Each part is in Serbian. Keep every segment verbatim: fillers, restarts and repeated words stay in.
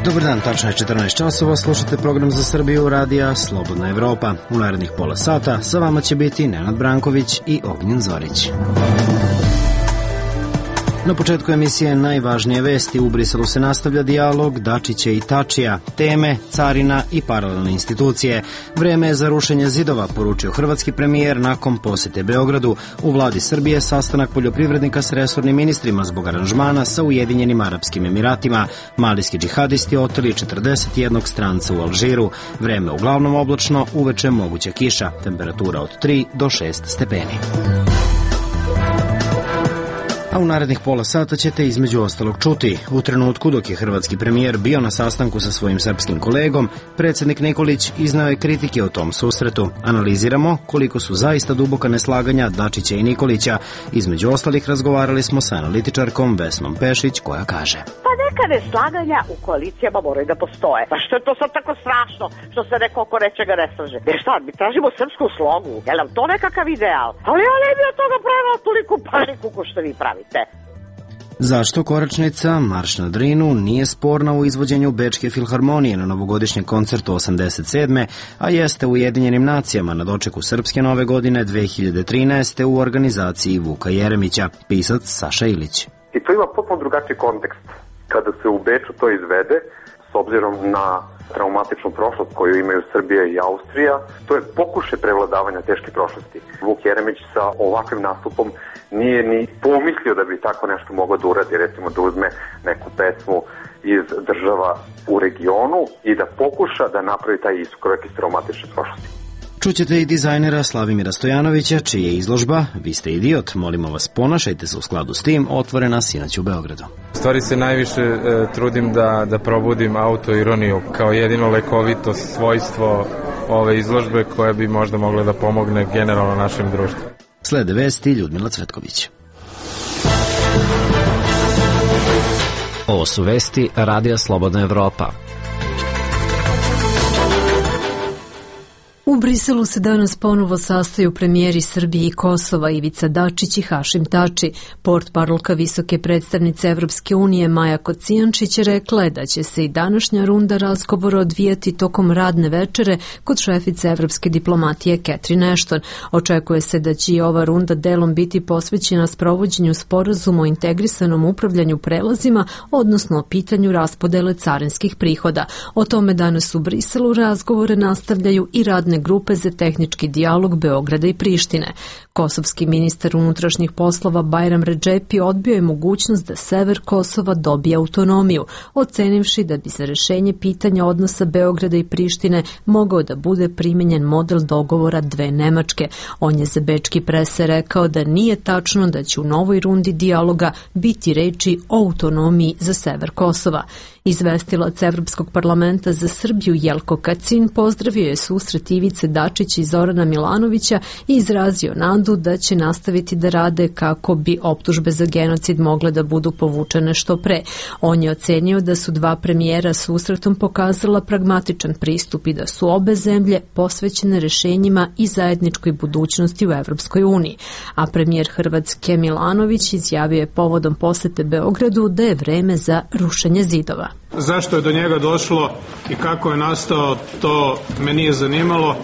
Dobar dan, tačno je četrnaest časova, slušate program za Srbiju radija Slobodna Evropa. U narednih pola sata sa vama će biti Nenad Branković i Ognjen Zorić. Na početku emisije najvažnije vesti. U Briselu se nastavlja dijalog Dačića i Tačija, teme, carina i paralelne institucije. Vreme je za rušenje zidova, poručio hrvatski premijer nakon posete Beogradu. U vladi Srbije sastanak poljoprivrednika s resornim ministrima zbog aranžmana sa Ujedinjenim Arapskim Emiratima. Malijski džihadisti oteli četrdeset jednog stranca u Alžiru. Vreme uglavnom oblačno, uveče moguća kiša. Temperatura od tri do šest stepeni. A u narednih pola sata ćete između ostalog čuti. U trenutku dok je hrvatski premijer bio na sastanku sa svojim srpskim kolegom, predsjednik Nikolić iznao je kritike o tom susretu. Analiziramo koliko su zaista duboka neslaganja Dačića i Nikolića. Između ostalih razgovarali smo sa analitičarkom Vesnom Pešić koja kaže: Pa neka neslaganja u koalicijama moraju da postoje. Pa što je to sad tako strašno što se neko oko nečega ne slaže? Jer šta, mi tražimo srpsku slogu? Je li nam to nekakav ideal? Ali ja ne bi od toga pravila toliku paniku ko što vi pravite. Zašto koračnica Marš na Drinu nije sporna u izvođenju Bečke filharmonije na novogodišnjem koncertu osamdeset sedme, a jeste u Ujedinjenim nacijama na dočeku Srpske nove godine dve hiljade trinaeste. u organizaciji Vuka Jeremića, pisac Saša Ilić. I to ima potpuno drugačiji kontekst. Kada se u Beču to izvede, s obzirom na traumatičnu prošlost koju imaju Srbija i Austrija, to je pokušaj prevladavanja teške prošlosti. Vuk Jeremić sa ovakvim nastupom nije ni pomislio da bi tako nešto mogao da uradi, recimo da uzme neku pesmu iz država u regionu i da pokuša da napravi taj iskorak iz traumatične prošlosti. Čućete i dizajnera Slavimira Stojanovića, čiji je izložba Vi ste idiot, molimo vas ponašajte se u skladu s tim, otvorena sinoć u Beogradu. U stvari se najviše e, trudim da, da probudim autoironiju kao jedino lekovito svojstvo ove izložbe koja bi možda mogla da pomogne generalno našem društvu. Slede vesti Ljudmila Cvetković. Ovo su vesti Radija Slobodna Evropa. U Briselu se danas ponovo sastaju premijeri Srbije i Kosova Ivica Dačić i Hašim Tači. Portparolka visoke predstavnice Evropske unije Maja Kocijančić rekla je da će se i današnja runda razgovora odvijati tokom radne večere kod šefice evropske diplomatije Catherine Ashton. Očekuje se da će i ova runda delom biti posvećena sprovođenju sporazuma o integrisanom upravljanju prelazima, odnosno o pitanju raspodele carinskih prihoda. O tome danas u Briselu razgovore nastavljaju i radne grupe za tehnički dijalog Beograda i Prištine. Kosovski ministar unutrašnjih poslova Bajram Redžepi odbio je mogućnost da sever Kosova dobije autonomiju, ocenivši da bi za rešenje pitanja odnosa Beograda i Prištine mogao da bude primenjen model dogovora dve Nemačke. On je za bečki prese rekao da nije tačno da će u novoj rundi dijaloga biti reči o autonomiji za sever Kosova. Izvestilac Evropskog parlamenta za Srbiju Jelko Kacin pozdravio je susret Ivice Dačića i Zorana Milanovića i izrazio nadu da će nastaviti da rade kako bi optužbe za genocid mogle da budu povučene što pre. On je ocenio da su dva premijera susretom pokazala pragmatičan pristup i da su obe zemlje posvećene rešenjima i zajedničkoj budućnosti u Evropskoj uniji. A premijer Hrvatske Milanović izjavio je povodom posete Beogradu da je vreme za rušenje zidova. Zašto je do njega došlo i kako je nastao, to me nije zanimalo.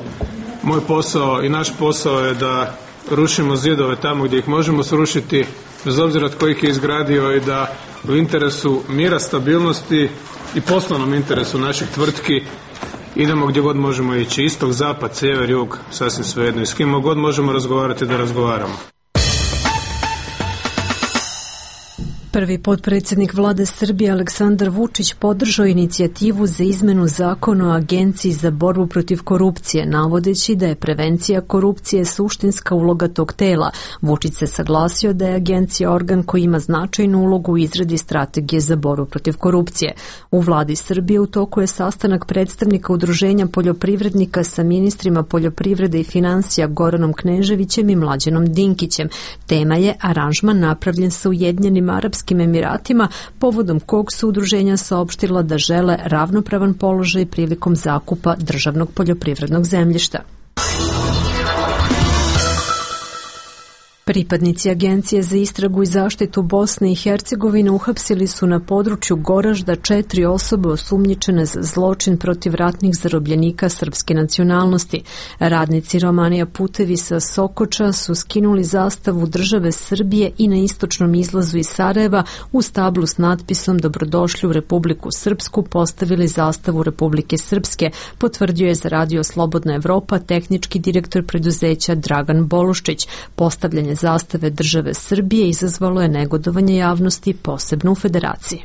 Moj posao i naš posao je da rušimo zidove tamo gdje ih možemo srušiti, bez obzira tko ih je izgradio, i da u interesu mira, stabilnosti i poslovnom interesu naših tvrtki idemo gdje god možemo ići. Istok, zapad, sjever, jug, sasvim svejedno. I s kim god možemo razgovarati da razgovaramo. Prvi potpredsjednik vlade Srbije Aleksandar Vučić podržao inicijativu za izmenu zakona o Agenciji za borbu protiv korupcije, navodeći da je prevencija korupcije suštinska uloga tog tela. Vučić se saglasio da je agencija organ koji ima značajnu ulogu u izradi strategije za borbu protiv korupcije. U vladi Srbije u toku je sastanak predstavnika Udruženja poljoprivrednika sa ministrima poljoprivrede i finansija Goranom Kneževićem i Mlađanom Dinkićem. Tema je aranžman napravljen sa Ujedinjenim Arapskim Emiratima, povodom kog su udruženja saopštila da žele ravnopravan položaj prilikom zakupa državnog poljoprivrednog zemljišta. Pripadnici Agencije za istragu i zaštitu Bosne i Hercegovine uhapsili su na području Goražda četiri osobe osumnjičene za zločin protiv ratnih zarobljenika srpske nacionalnosti. Radnici Romanija Putevi sa Sokoča su skinuli zastavu države Srbije i na istočnom izlazu iz Sarajeva u stablu s natpisom Dobrodošli u Republiku Srpsku postavili zastavu Republike Srpske, potvrdio je za Radio Slobodna Evropa tehnički direktor preduzeća Dragan Boluščić. Postavljanje zastave države Srbije izazvalo je negodovanje javnosti, posebno u Federaciji.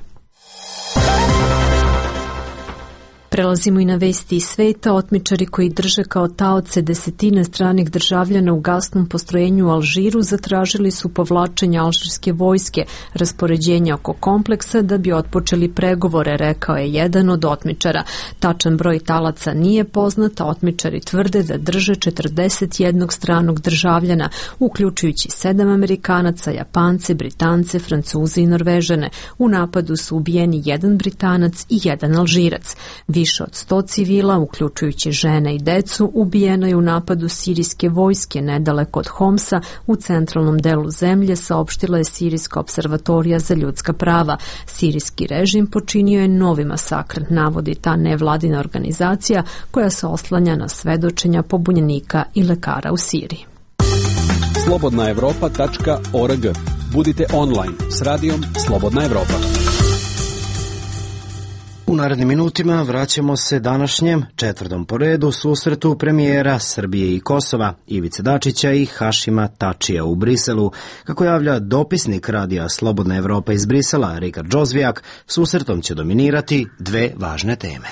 Prelazimo i na vesti iz sveta. Otmičari koji drže kao taoce desetine stranih državljana u gasnom postrojenju u Alžiru zatražili su povlačenje alžirske vojske, raspoređenje oko kompleksa da bi otpočeli pregovore, rekao je jedan od otmičara. Tačan broj talaca nije poznat, a otmičari tvrde da drže četrdeset jednog stranog državljana, uključujući sedam Amerikanaca, Japance, Britance, Francuze i Norvežane. U napadu su ubijeni jedan Britanac i jedan Alžirac. Više od sto civila, uključujući žene i decu, ubijeno je u napadu sirijske vojske nedaleko od Homsa u centralnom delu zemlje, saopštila je Sirijska observatorija za ljudska prava. Sirijski režim počinio je novi masakr, navodi ta nevladina organizacija koja se oslanja na svedočenja pobunjenika i lekara u Siriji. slobodna evropa tačka org. Budite online s radijom Slobodna Evropa. U narednim minutima vraćamo se današnjem četvrtom po redu susretu premijera Srbije i Kosova Ivice Dačića i Hašima Tačija u Briselu. Kako javlja dopisnik radija Slobodna Evropa iz Brisela Rikard Džozvijak, susretom će dominirati dve važne teme.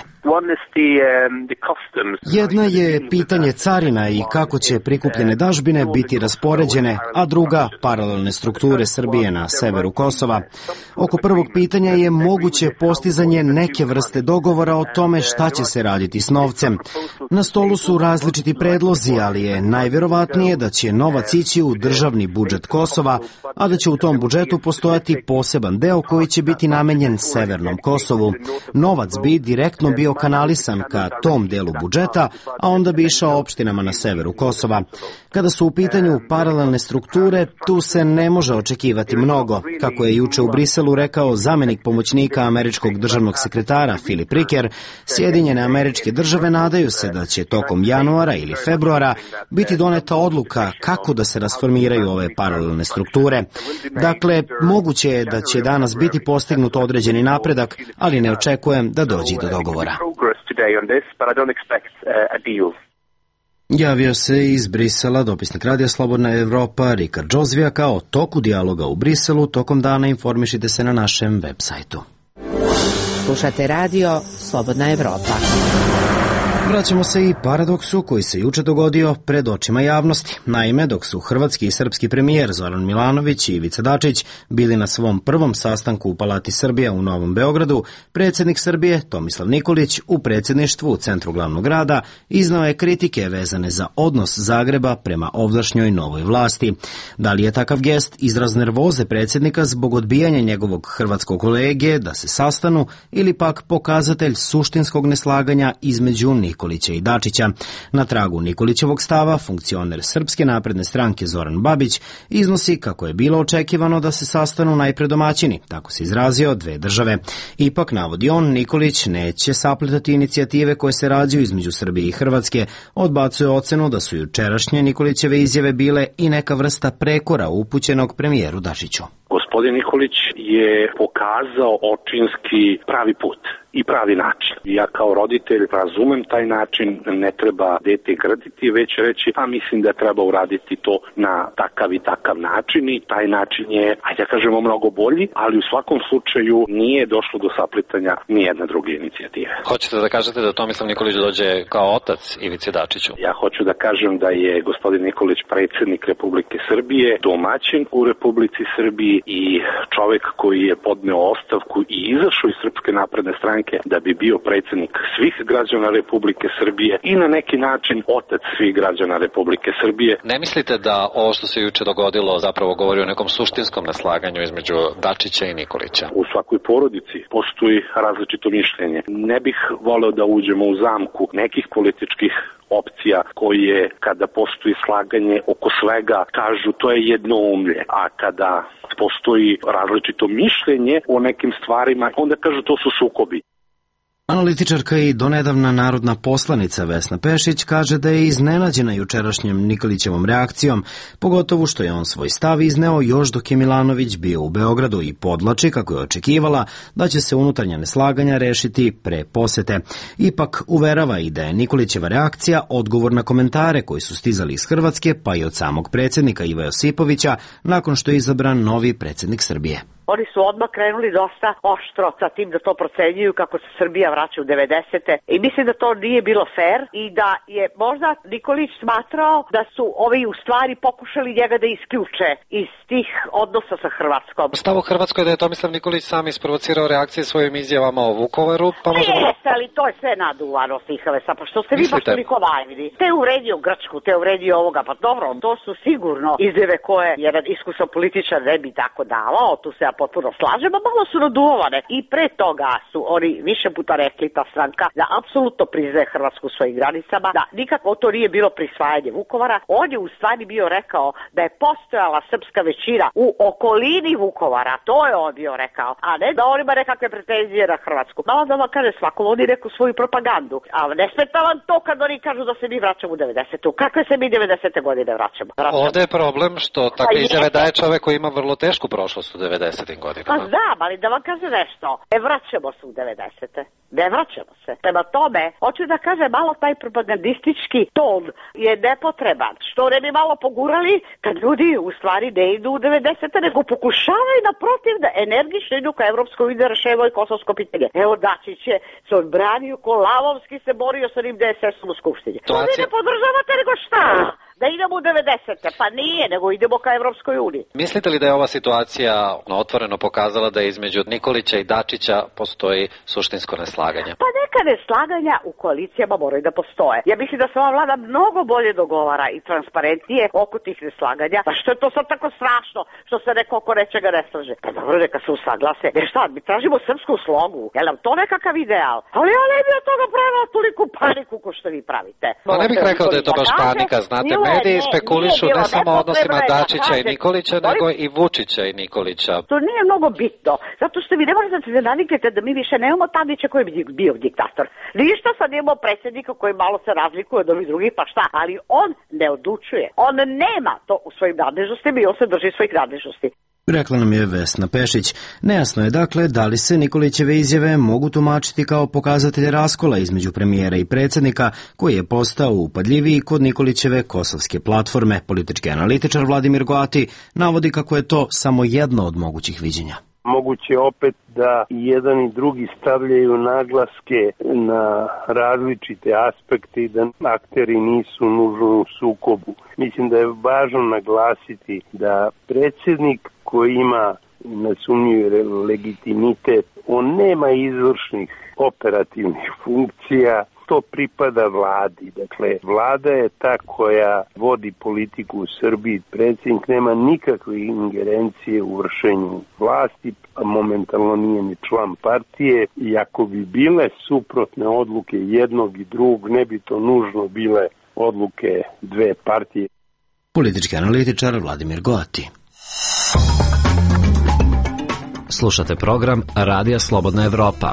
Jedna je pitanje carina i kako će prikupljene dažbine biti raspoređene, a druga paralelne strukture Srbije na severu Kosova. Oko prvog pitanja je moguće postizanje neke vrste dogovora o tome šta će se raditi s novcem. Na stolu su različiti predlozi, ali je najvjerovatnije da će novac ići u državni budžet Kosova, a da će u tom budžetu postojati poseban deo koji će biti namenjen severnom Kosovu. Novac bi direktno bio kanalisan ka tom delu budžeta, a onda bi išao opštinama na severu Kosova. Kada su u pitanju paralelne strukture, tu se ne može očekivati mnogo. Kako je juče u Briselu rekao zamenik pomoćnika američkog državnog sekretara Filip Riker, Sjedinjene Američke Države nadaju se da će tokom januara ili februara biti doneta odluka kako da se rasformiraju ove paralelne strukture. Dakle, moguće je da će danas biti postignut određeni napredak, ali ne očekujem da dođe do dogovora. Javio se iz Brisela dopisnik radija Slobodna Evropa Rikard Džozvijak. O toku dijaloga u Briselu tokom dana informišite se na našem web sajtu. Slušate radio Slobodna Evropa. Vraćamo se i paradoksu koji se juče dogodio pred očima javnosti. Naime, dok su hrvatski i srpski premijer Zoran Milanović i Ivica Dačić bili na svom prvom sastanku u Palati Srbija u Novom Beogradu, predsjednik Srbije Tomislav Nikolić u predsjedništvu u centru glavnog grada iznao je kritike vezane za odnos Zagreba prema ovdašnjoj novoj vlasti. Da li je takav gest izraz nervoze predsjednika zbog odbijanja njegovog hrvatskog kolege da se sastanu ili pak pokazatelj suštinskog neslaganja između Nikolića i Dačića? Na tragu Nikolićevog stava, funkcioner Srpske napredne stranke Zoran Babić iznosi kako je bilo očekivano da se sastanu najpre domaćini, tako se izrazio, dve države. Ipak, navodi on, Nikolić neće sapletati inicijative koje se rađaju između Srbije i Hrvatske, odbacuje ocenu da su jučerašnje Nikolićeve izjave bile i neka vrsta prekora upućenog premijeru Dačiću. Gospodin Nikolić je pokazao očinski pravi put i pravi način. Ja kao roditelj razumem taj način, ne treba dete grditi, već reći, a mislim da treba uraditi to na takav i takav način i taj način je, ajde da kažemo, mnogo bolji, ali u svakom slučaju nije došlo do saplitanja nijedne druge inicijative. Hoćete da kažete da Tomislav Nikolić dođe kao otac Ivici Dačiću? Ja hoću da kažem da je gospodin Nikolić predsjednik Republike Srbije, domaćin u Republici Srbiji i i čovek koji je podneo ostavku i izašao iz Srpske napredne stranke da bi bio predsjednik svih građana Republike Srbije i na neki način otac svih građana Republike Srbije. Ne mislite da ovo što se juče dogodilo zapravo govori o nekom suštinskom neslaganju između Dačića i Nikolića? U svakoj porodici postoji različito mišljenje. Ne bih voleo da uđemo u zamku nekih političkih opcija koje kada postoji slaganje oko svega kažu to je jednoumlje, a kada postoji različito mišljenje o nekim stvarima onda kažu to su sukobi. Analitičarka i donedavna narodna poslanica Vesna Pešić kaže da je iznenađena jučerašnjem Nikolićevom reakcijom, pogotovo što je on svoj stav izneo još dok je Milanović bio u Beogradu i podlači, kako je očekivala, da će se unutarnja neslaganja rešiti pre posete. Ipak uverava i da je Nikolićeva reakcija odgovor na komentare koji su stizali iz Hrvatske, pa i od samog predsjednika Iva Josipovića, nakon što je izabran novi predsjednik Srbije. Oni su odmah krenuli dosta oštro sa tim da to procenjuju kako se Srbija vraća u devedesete i mislim da to nije bilo fair i da je možda Nikolić smatrao da su ovi u stvari pokušali njega da isključe iz tih odnosa sa Hrvatskom. Stav u Hrvatskoj da je Tomislav Nikolić sam isprovocirao reakcije svojim izjavama o Vukovaru, pa možemo... Jeste, ali to je sve naduvano, Stihavesa, pa što ste vi baš toliko naivni. Te je uvredio Grčku, te je uvredio ovoga, pa dobro, to su sigurno izjave koje jedan iskusan političar ne bi tako davao, tu se ja potpuno slažem, a malo su naduvane. I pre toga su oni više puta rekli, ta stranka, da apsolutno priznaje Hrvatsku u svojim granicama, da nikako to nije bilo prisvajanje Vukovara. On je u stvari bio rekao da je postojala srpska većina u okolini Vukovara, to je on bio rekao, a ne da on ima nekakve pretenzije na Hrvatsku. Malo da vam kaže svakom, oni reku svoju propagandu, a ne smeta vam to kad oni kažu da se mi vraćamo u devedesetu. Kakve se mi devedesete godine vraćamo? vraćamo? Ovde je problem što takve izjave daje čovek koji ima vrlo tešku prošlost u devedesetim godinama. Pa znam, ali da vam kaže nešto, ne vraćamo se u devedesete. Ne vraćamo se. Prema tome, hoću da kažem, malo taj propagandistički ton je nepotreban. Što ne bi malo pogurali kad ljudi u stvari ne idu u devedesete, nego pokušavaju naprotiv da energično idu ka Evropskoj uniji da reševaju kosovsko pitanje. Evo Dačić je se odbranio, ko lavovski se borio sa njim D S S-om u Skupštini. To vi ne podržavate, nego šta? Da idemo u devedesete, pa nije, nego idemo ka Evropskoj uniji. Mislite li da je ova situacija otvoreno pokazala da između Nikolića i Dačića postoji suštinsko neslaganje? Pa neka neslaganja u koalicijama moraju da postoje. Ja mislim da se ova vlada mnogo bolje dogovara i transparentnije oko tih neslaganja. Pa što je to sad tako strašno što se neko oko nečega ne slaže? Pa dobro, neka se usaglase. Jer šta, mi tražimo srpsku slogu. Je nam to nekakav ideal? Ali ja ne bi od toga pravila toliku paniku ko što vi pravite. Pa ne bih rekao da je to baš panika, znate. Mediji spekulišu ne samo o odnosima Dačića i Nikolića, nego i Vučića i Nikolića. To nije mnogo bitno, zato što vi ne možete da se naviknete da mi više nemamo Tadića koji bi bio diktator. Ništa, sad imamo predsjednika koji malo se razlikuje od ovih drugih, pa šta, ali on ne odlučuje. On nema to u svojim nadležnostima i on se drži svojih nadležnosti. Rekla nam je Vesna Pešić. Nejasno je dakle da li se Nikolićeve izjave mogu tumačiti kao pokazatelj raskola između premijera i predsjednika, koji je postao upadljiviji kod Nikolićeve kosovske platforme. Politički analitičar Vladimir Goati navodi kako je to samo jedno od mogućih viđenja. Moguće opet da jedan i drugi stavljaju naglaske na različite aspekte i da akteri nisu nužno u sukobu. Mislim da je važno naglasiti da predsjednik koji ima nesumnjiv legitimitet, on nema izvršnih operativnih funkcija, to pripada vladi. Dakle, vlada je ta koja vodi politiku u Srbiji. Predsjednik nema nikakve ingerencije u vršenju vlasti, a momentalno nije ni član partije. I ako bi bile suprotne odluke jednog i drugog, ne bi to nužno bile odluke dve partije. Politički analitičar Vladimir Goati. Slušate program Radija Slobodna Evropa.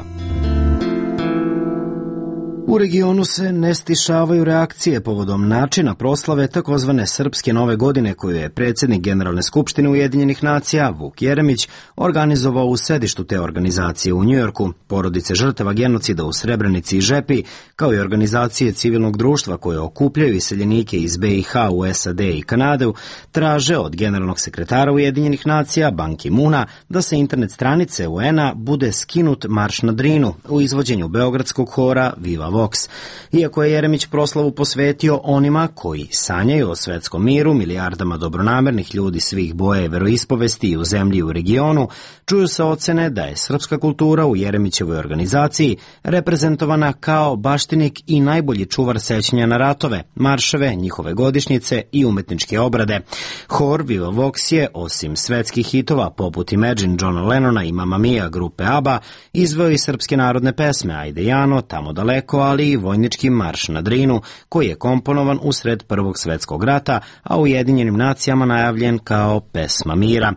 U regionu se ne stišavaju reakcije povodom načina proslave takozvane Srpske nove godine koju je predsjednik Generalne skupštine Ujedinjenih nacija Vuk Jeremić organizovao u sedištu te organizacije u Njujorku. Porodice žrtava genocida u Srebrenici i Žepi, kao i organizacije civilnog društva koje okupljaju iseljenike iz B i H u S A D i Kanadu, traže od generalnog sekretara Ujedinjenih nacija Ban Ki-muna da sa internet stranice U N-a bude skinut Marš na Drinu u izvođenju beogradskog hora Viva Vox. Iako je Jeremić proslavu posvetio onima koji sanjaju o svetskom miru, milijardama dobronamernih ljudi svih boja i veroispovesti i u zemlji i u regionu, čuju se ocene da je srpska kultura u Jeremićevoj organizaciji reprezentovana kao baštinik i najbolji čuvar sećanja na ratove, marševe, njihove godišnjice i umetničke obrade. Hor Viva Vox je, osim svetskih hitova poput Imagine Johna Lennona i Mamma Mia grupe ABBA, izveo i srpske narodne pesme Ajde Jano, Tamo daleko, ali i vojnički marš na Drinu, koji je komponovan usred Prvog svetskog rata, a u Ujedinjenim nacijama najavljen kao pesma mira.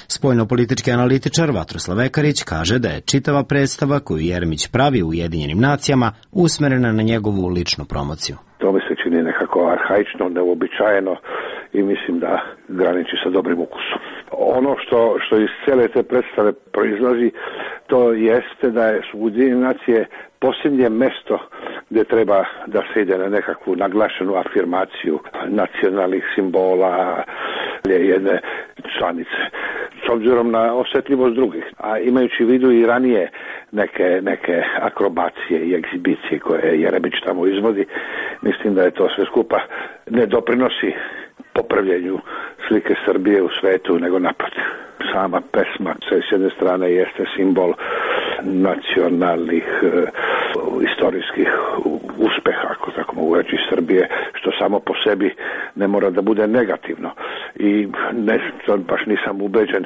Spoljnopolitički analitičar Vatroslav Ekarić kaže da je čitava predstava koju Jeremić pravi u Ujedinjenim nacijama usmerena na njegovu ličnu promociju. To mi se čini nekako arhaično, neuobičajeno i mislim da graniči sa dobrim ukusom. Ono što, što iz cele te predstave proizlazi, to jeste da su Ujedinjene nacije posljednje mesto gdje treba da se ide na nekakvu naglašenu afirmaciju nacionalnih simbola jedne članice. S obzirom na osjetljivost drugih, a imajući u vidu i ranije neke, neke akrobacije i egzibicije koje Jeremić tamo izvodi, mislim da je to sve skupa ne doprinosi popravljenju slike Srbije u svetu, nego naprotiv. Sama pesma s jedne strane jeste simbol nacionalnih e, istorijskih uspeha, ako tako mogu reći, Srbije, što samo po sebi ne mora da bude negativno. I ne, baš nisam ubeđen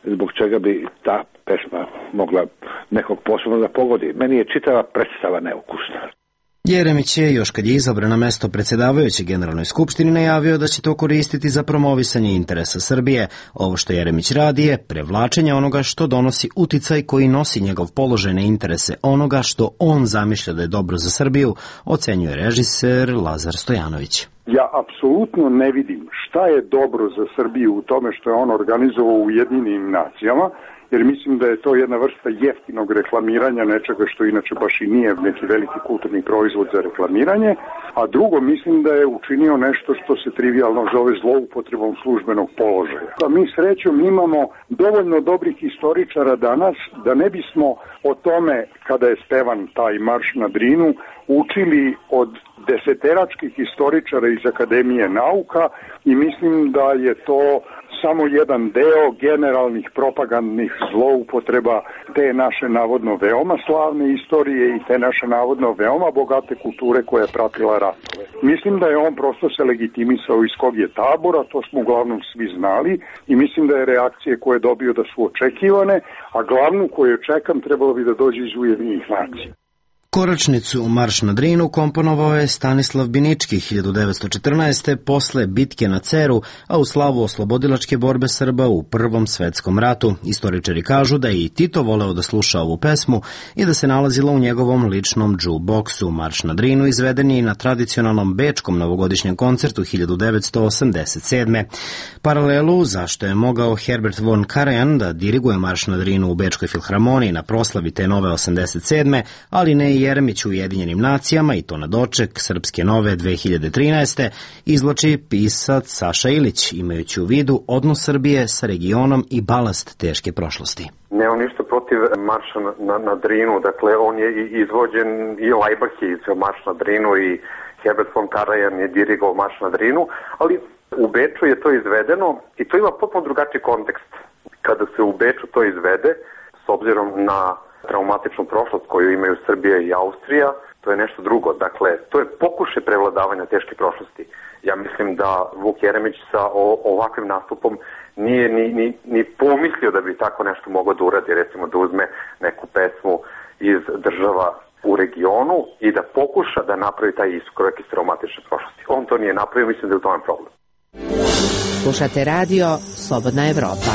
zbog čega bi ta pesma mogla nekog posebno da pogodi. Meni je čitava predstava neukusna. Jeremić je, još kad je izabran na mesto predsjedavajuće Generalnoj skupštini, najavio da će to koristiti za promovisanje interesa Srbije. Ovo što Jeremić radi je prevlačenje onoga što donosi uticaj koji nosi njegov položaj na interese onoga što on zamišlja da je dobro za Srbiju, ocenjuje režiser Lazar Stojanović. Ja apsolutno ne vidim šta je dobro za Srbiju u tome što je on organizovao u Ujedinjenim nacijama, jer mislim da je to jedna vrsta jeftinog reklamiranja nečega što inače baš i nije neki veliki kulturni proizvod za reklamiranje, a drugo mislim da je učinio nešto što se trivijalno zove zloupotrebom službenog položaja. A mi srećom imamo dovoljno dobrih istoričara danas da ne bismo o tome, kada je spevan taj marš na Drinu, učili od deseteračkih istoričara iz Akademije nauka i mislim da je to samo jedan deo generalnih propagandnih zloupotreba te naše navodno veoma slavne istorije i te naše navodno veoma bogate kulture koja je pratila ratove. Mislim da je on prosto se legitimisao iz kog je tabora, to smo uglavnom svi znali i mislim da je reakcije koje je dobio da su očekivane, a glavnu koju čekam trebalo bi da dođe iz Ujedinjenih nacija. Koračnicu Marš na Drinu komponovao je Stanislav Binički hiljadu devetsto četrnaeste. posle bitke na Ceru, a u slavu oslobodilačke borbe Srba u Prvom svetskom ratu. Istoričari kažu da je i Tito voleo da sluša ovu pesmu i da se nalazila u njegovom ličnom džu-boksu. Marš na Drinu izveden je i na tradicionalnom bečkom novogodišnjem koncertu hiljadu devetsto osamdeset sedme. Paralelu zašto je mogao Herbert von Karajan da diriguje Marš na Drinu u Bečkoj filharmoniji na proslavi te nove osamdeset sedme, ali ne i Jeremić u Ujedinjenim nacijama, i to na doček Srpske nove dve hiljade trinaeste. izvlači pisac Saša Ilić, imajući u vidu odnos Srbije sa regionom i balast teške prošlosti. Nemam ništa protiv marša na, na, na Drinu, dakle on je izvođen i Laibach je izveo marš na Drinu i Herbert von Karajan je dirigovao marš na Drinu, ali u Beču je to izvedeno i to ima potpuno drugačiji kontekst. Kada se u Beču to izvede, s obzirom na traumatičnu prošlost koju imaju Srbija i Austrija, to je nešto drugo. Dakle, to je pokušaj prevladavanja teške prošlosti. Ja mislim da Vuk Jeremić sa o, ovakvim nastupom nije ni, ni, ni pomislio da bi tako nešto mogao da uradi, recimo da uzme neku pesmu iz država u regionu i da pokuša da napravi taj iskorak iz traumatične prošlosti. On to nije napravio, mislim da je u tome problem. Slušate radio Slobodna Evropa.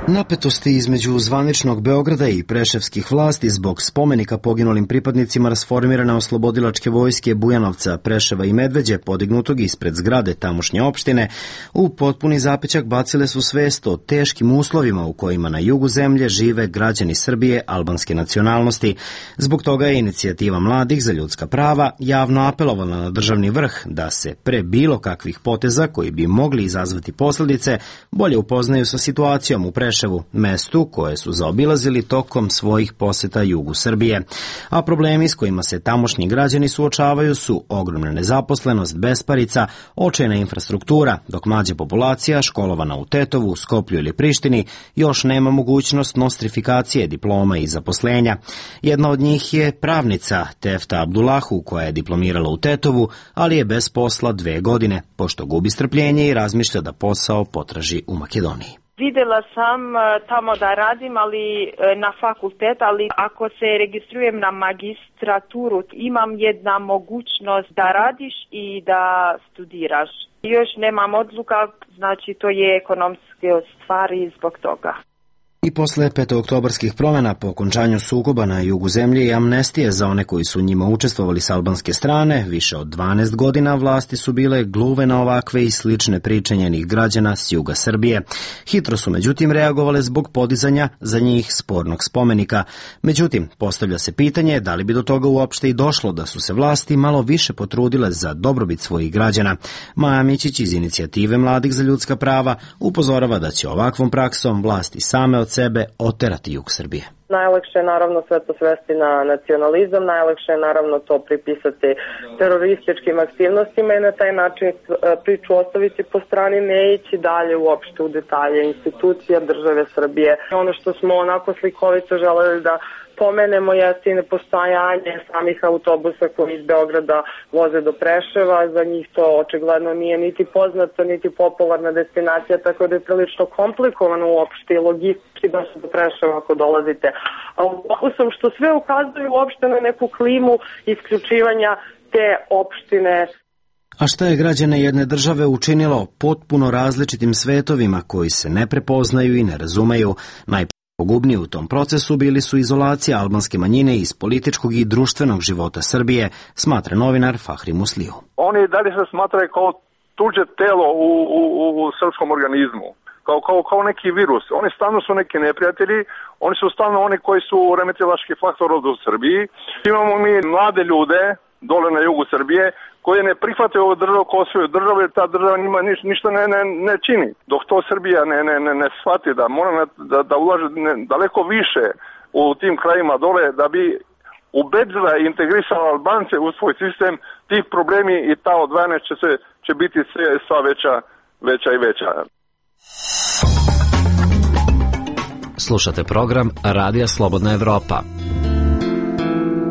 Napetosti između zvaničnog Beograda i preševskih vlasti zbog spomenika poginulim pripadnicima rasformirane oslobodilačke vojske Bujanovca, Preševa i Medveđe, podignutog ispred zgrade tamošnje opštine, u potpuni zapećak bacile su svest o teškim uslovima u kojima na jugu zemlje žive građani Srbije albanske nacionalnosti. Zbog toga je inicijativa mladih za ljudska prava javno apelovala na državni vrh da se pre bilo kakvih poteza koji bi mogli izazvati posledice bolje upoznaju sa situacijom u Preševu Preševu, mestu koje su zaobilazili tokom svojih poseta jugu Srbije. A problemi s kojima se tamošnji građani suočavaju su ogromna nezaposlenost, besparica, očajna infrastruktura, dok mlađa populacija, školovana u Tetovu, Skoplju ili Prištini, još nema mogućnost nostrifikacije diploma i zaposlenja. Jedna od njih je pravnica Tefta Abdullahu, koja je diplomirala u Tetovu, ali je bez posla dve godine, pošto gubi strpljenje i razmišlja da posao potraži u Makedoniji. Videla sam tamo da radim, ali na fakultet, ali ako se registrujem na magistraturu, imam jedna mogućnost da radiš i da studiraš. Još nemam odluka, znači to je ekonomske stvari zbog toga. I posle petooktobarskih promjena po okončanju sukoba na jugu zemlje i amnestije za one koji su njima učestvovali s albanske strane, više od dvanaest godina vlasti su bile gluve na ovakve i slične priče njenih građana s juga Srbije. Hitro su međutim reagovale zbog podizanja za njih spornog spomenika. Međutim, postavlja se pitanje da li bi do toga uopšte i došlo da su se vlasti malo više potrudile za dobrobit svojih građana. Maja Mićić iz inicijative Mladih za ljudska prava upozorava da će ovakvom praksom vlasti same od sebe oterati jug Srbije. Najlakše je naravno sve to svesti na nacionalizam, najlakše je naravno to pripisati terorističkim aktivnostima i na taj način priču ostaviti po strani, ne ići dalje uopšte u detalje institucija države Srbije. Ono što smo onako slikovito želeli da pomenemo jeste i nepostojanje samih autobusa koji iz Beograda voze do Preševa. Za njih to očigledno nije niti poznato, niti popularna destinacija, tako da je prilično komplikovano uopšte i logistički da se do Preševa ako dolazite autobusom, što sve ukazuje uopšte na neku klimu isključivanja te opštine. A šta je građane jedne države učinilo potpuno različitim svetovima koji se ne prepoznaju i ne razumeju? Pogubniji u tom procesu bili su izolacija albanske manjine iz političkog i društvenog života Srbije, smatra novinar Fahri Musliju. Oni dalje se smatraju kao tuđe telo u, u, u srpskom organizmu, kao, kao, kao neki virus. Oni stalno su neki neprijatelji, oni su stalno oni koji su remetilački faktor ovdje u Srbiji. Imamo mi mlade ljude dole na jugu Srbije koji ne prihvate ovu državu kao svoju državu jer ta država njima niš, ništa ne, ne, ne čini. Dok to Srbija ne, ne, ne, ne shvati da mora da, da ulaže ne, daleko više u tim krajima dole da bi ubedila i integrisala Albance u svoj sistem, tih problemi i ta odvajanja će, se, će biti sve, sva veća, veća i veća. Slušate program Radija Slobodna Evropa.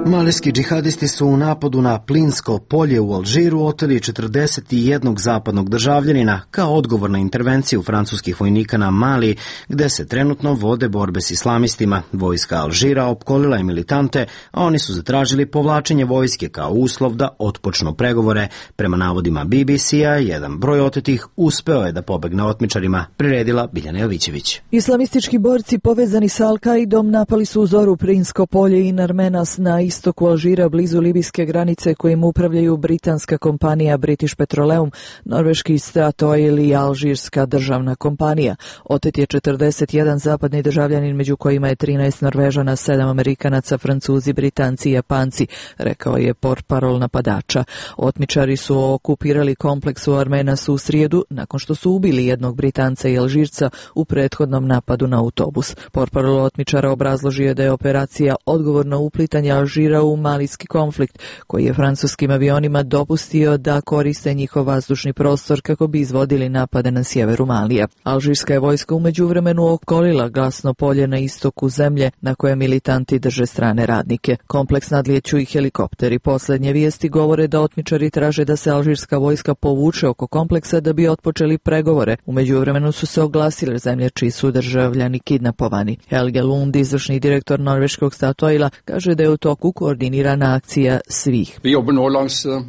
Malijski džihadisti su u napadu na plinsko polje u Alžiru oteli četrdeset jedan zapadnog državljanina kao odgovor na intervenciju francuskih vojnika na Mali, gde se trenutno vode borbe s islamistima. Vojska Alžira opkolila je militante, a oni su zatražili povlačenje vojske kao uslov da otpočnu pregovore. Prema navodima B B C-a, jedan broj otetih uspeo je da pobegne otmičarima, priredila Biljana Jovićević. Islamistički borci povezani sa Al-Kaidom napali su u zoru plinsko polje in Armenas na istoku Alžira, blizu libijske granice kojim upravljaju britanska kompanija British Petroleum, norveški Statoil i alžirska državna kompanija. Otet je četrdeset jedan zapadni državljanin, među kojima je trinaest Norvežana, sedam Amerikanaca, Francuzi, Britanci i Japanci, rekao je portparol napadača. Otmičari su okupirali kompleks u Armenasu u srijedu nakon što su ubili jednog Britanca i Alžirca u prethodnom napadu na autobus. Portparol otmičara obrazložio je da je operacija odgovorno uplitanje Alžira u malijski konflikt, koji je francuskim avionima dopustio da koriste njihov vazdušni prostor kako bi izvodili napade na sjeveru Malija. Alžirska je vojska u međuvremenu okolila gasno polje na istoku zemlje na koje militanti drže strane radnike. Kompleks nadlijeću i helikopteri. Posljednje vijesti govore da otmičari traže da se alžirska vojska povuče oko kompleksa da bi otpočeli pregovore. U međuvremenu su se oglasile zemlje čiji su državljani kidnapovani. Helge Lund, izvršni direktor norveškog Statoila, kaže da je u toku koordinirana akcija svih.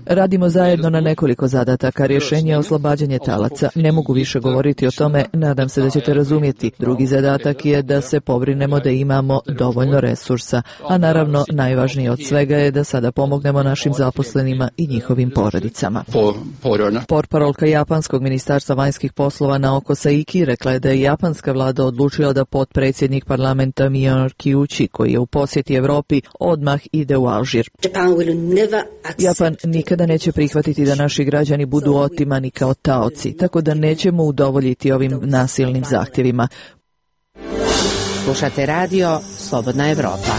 Radimo zajedno na nekoliko zadataka. Rješenje je oslobađanje talaca. Ne mogu više govoriti o tome, nadam se da ćete razumjeti. Drugi zadatak je da se pobrinemo da imamo dovoljno resursa, a naravno najvažnije od svega je da sada pomognemo našim zaposlenima i njihovim porodicama. Portparolka japanskog ministarstva vanjskih poslova Naoko Saiki rekla je da je japanska vlada odlučila da potpredsjednik parlamenta Miyanoki Uchi, koji je u posjeti Evropi, odmah ide u Alžir. Japan nikada neće prihvatiti da naši građani budu otimani kao taoci, tako da nećemo udovoljiti ovim nasilnim zahtjevima. Slušate radio Slobodna Evropa.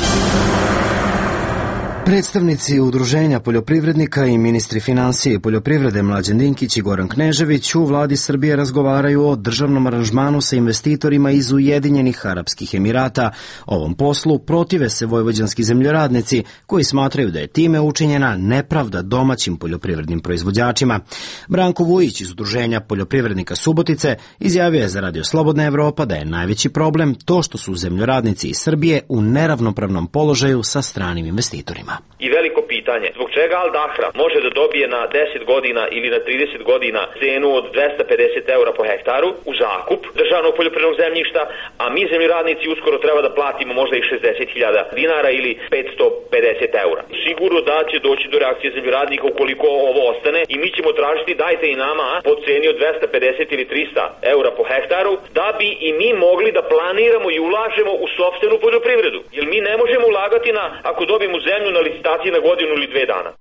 Predstavnici udruženja poljoprivrednika i ministri financije i poljoprivrede Mlađan Dinkić i Goran Knežević u vladi Srbije razgovaraju o državnom aranžmanu sa investitorima iz Ujedinjenih Arapskih Emirata. Ovom poslu protive se vojvođanski zemljoradnici koji smatraju da je time učinjena nepravda domaćim poljoprivrednim proizvođačima. Branko Vujić iz udruženja poljoprivrednika Subotice izjavio je za Radio Slobodna Evropa da je najveći problem to što su zemljoradnici iz Srbije u neravnopravnom položaju sa stranim investitorima. I veliko pitanje, zbog čega Al Dahra može da dobije na deset godina ili na trideset godina cenu od dvesta pedeset eura po hektaru u zakup državnog poljoprivrednog zemljišta, a mi zemljoradnici uskoro treba da platimo možda i šezdeset hiljada dinara ili petsto pedeset eura. Sigurno da će doći do reakcije zemljoradnika ukoliko ovo ostane i mi ćemo tražiti dajte i nama po ceni od dvesta pedeset ili trista eura po hektaru da bi i mi mogli da planiramo i ulažemo u sopstvenu poljoprivredu. Jer mi ne možemo ulagati na, ako dobijemo zemlju na licitaciji na godinu ili dve dana.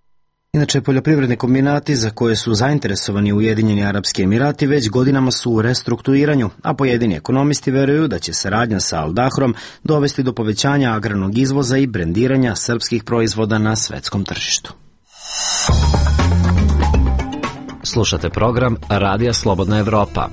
Inače, poljoprivredni kombinati za koje su zainteresovani Ujedinjeni Arapski Emirati već godinama su u restrukturiranju, a pojedini ekonomisti veruju da će saradnja sa Al Dahrom dovesti do povećanja agrarnog izvoza i brendiranja srpskih proizvoda na svetskom tržištu. Slušate program Radija Slobodna Evropa.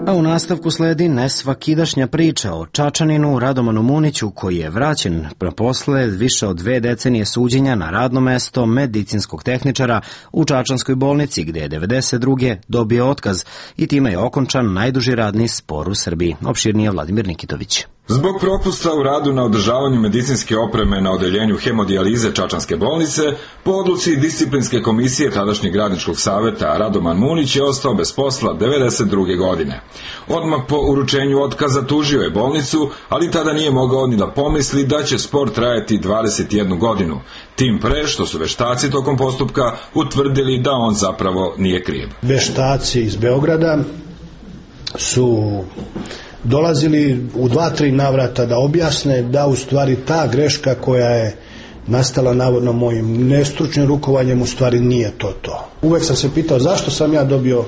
A u nastavku sledi nesvakidašnja priča o Čačaninu Radomanu Muniću koji je vraćen posle više od dve decenije suđenja na radno mesto medicinskog tehničara u Čačanskoj bolnici gde je devedeset druge dobio otkaz i time je okončan najduži radni spor u Srbiji. Opširnije Vladimir Nikitović. Zbog propusta u radu na održavanju medicinske opreme na odeljenju hemodijalize Čačanske bolnice, po odluci disciplinske komisije tadašnjeg radničkog saveta Radoman Munić je ostao bez posla devedeset druge godine. Odmah po uručenju otkaza tužio je bolnicu, ali tada nije mogao ni da pomisli da će spor trajati dvadeset jednu godinu. Tim pre što su veštaci tokom postupka utvrdili da on zapravo nije kriv. Veštaci iz Beograda su dolazili u dva, tri navrata da objasne da u stvari ta greška koja je nastala navodno mojim nestručnim rukovanjem u stvari nije to to. Uvek sam se pitao zašto sam ja dobio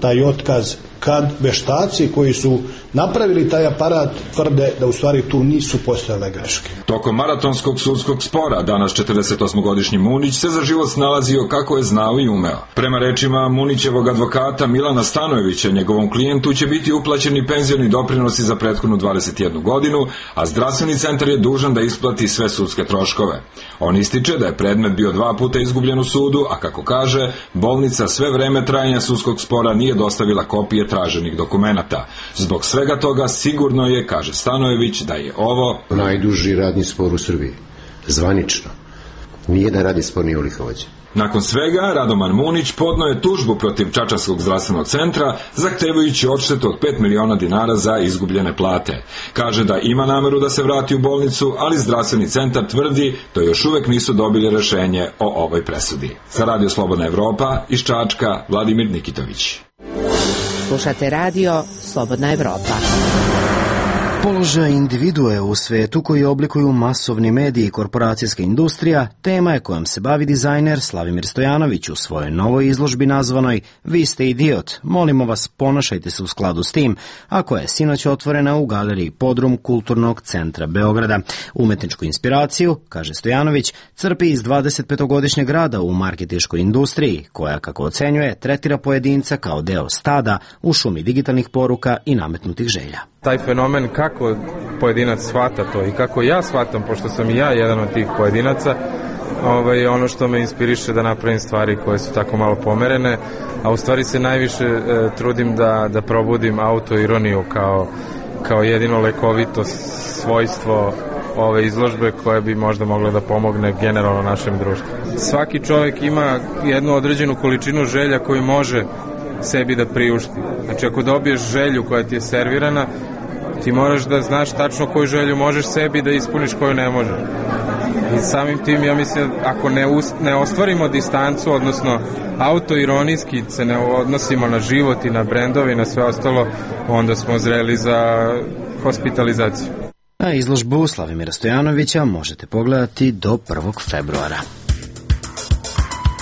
taj otkaz kad veštaci koji su napravili taj aparat tvrde da u stvari tu nisu postojale greške. Tokom maratonskog sudskog spora danas četrdesetosmogodišnji Munić se za život snalazio kako je znao i umeo. Prema rečima Munićevog advokata Milana Stanojevića, njegovom klijentu će biti uplaćeni penzioni doprinosi za prethodnu dvadeset jednu godinu, a zdravstveni centar je dužan da isplati sve sudske troškove. On ističe da je predmet bio dva puta izgubljen u sudu, a kako kaže, bolnica sve vreme trajanja sudskog spora nije dostavila kopije traženih dokumenata. Zbog svega toga sigurno je, kaže Stanojević, da je ovo najduži radni spor u Srbiji. Zvanično. Nijedan radni spor nije ovoliko vođen. Nakon svega, Radoman Munić podneo je tužbu protiv Čačanskog zdravstvenog centra, zahtevajući odštetu od pet miliona dinara za izgubljene plate. Kaže da ima nameru da se vrati u bolnicu, ali zdravstveni centar tvrdi da još uvek nisu dobili rešenje o ovoj presudi. Za Radio Slobodna Evropa iz Čačka, Vladimir Nikitović. Slušate radio Slobodna Evropa. Položaj individue u svetu koji oblikuju masovni mediji i korporacijska industrija tema je kojom se bavi dizajner Slavimir Stojanović u svojoj novoj izložbi nazvanoj Vi ste idiot, molimo vas ponašajte se u skladu s tim, a koja je sinoć otvorena u galeriji Podrum Kulturnog centra Beograda. Umetničku inspiraciju, kaže Stojanović, crpi iz dvadesetpetogodišnjeg rada u marketinškoj industriji, koja, kako ocenjuje, tretira pojedinca kao deo stada u šumi digitalnih poruka i nametnutih želja. Taj fenomen kako pojedinac shvata to i kako ja shvatam, pošto sam i ja jedan od tih pojedinaca, ovaj, ono što me inspiriše da napravim stvari koje su tako malo pomerene, a u stvari se najviše e, trudim da, da probudim autoironiju kao, kao jedino lekovito svojstvo ove izložbe koje bi možda moglo da pomogne generalno našem društvu. Svaki čovjek ima jednu određenu količinu želja koju može sebi da priušti. Znači ako dobiješ želju koja ti je servirana, ti moraš da znaš tačno koju želju možeš sebi da ispuniš, koju ne možeš. I samim tim ja mislim ako ne, ust, ne ostvarimo distancu, odnosno autoironijski se ne odnosimo na život i na brendove i na sve ostalo, onda smo zreli za hospitalizaciju. A izložbu Slavimira Stojanovića možete pogledati do prvog februara.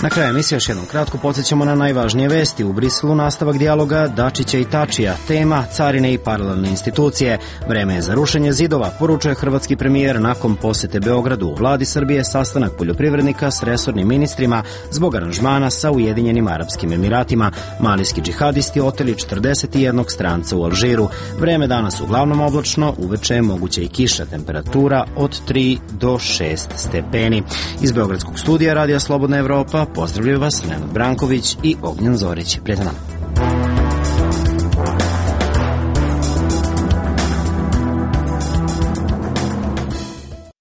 Na kraju emisije još jednom kratko podsjećamo na najvažnije vesti. U Briselu nastavak dijaloga Dačića i Tačija. Tema carine i paralelne institucije. Vreme je za rušenje zidova, poručuje hrvatski premijer nakon posete Beogradu. U vladi Srbije sastanak poljoprivrednika s resornim ministrima zbog aranžmana sa Ujedinjenim Arapskim Emiratima. Malijski džihadisti oteli četrdeset jedan stranca u Alžiru. Vreme danas uglavnom oblačno, uveče je moguća i kiša, temperatura od tri do šest stepeni. Iz Beogradskog studija Radija Slobodna Evropa pozdravljaju vas Nenad Branković i Ognjen Zorić. Prijatno nam.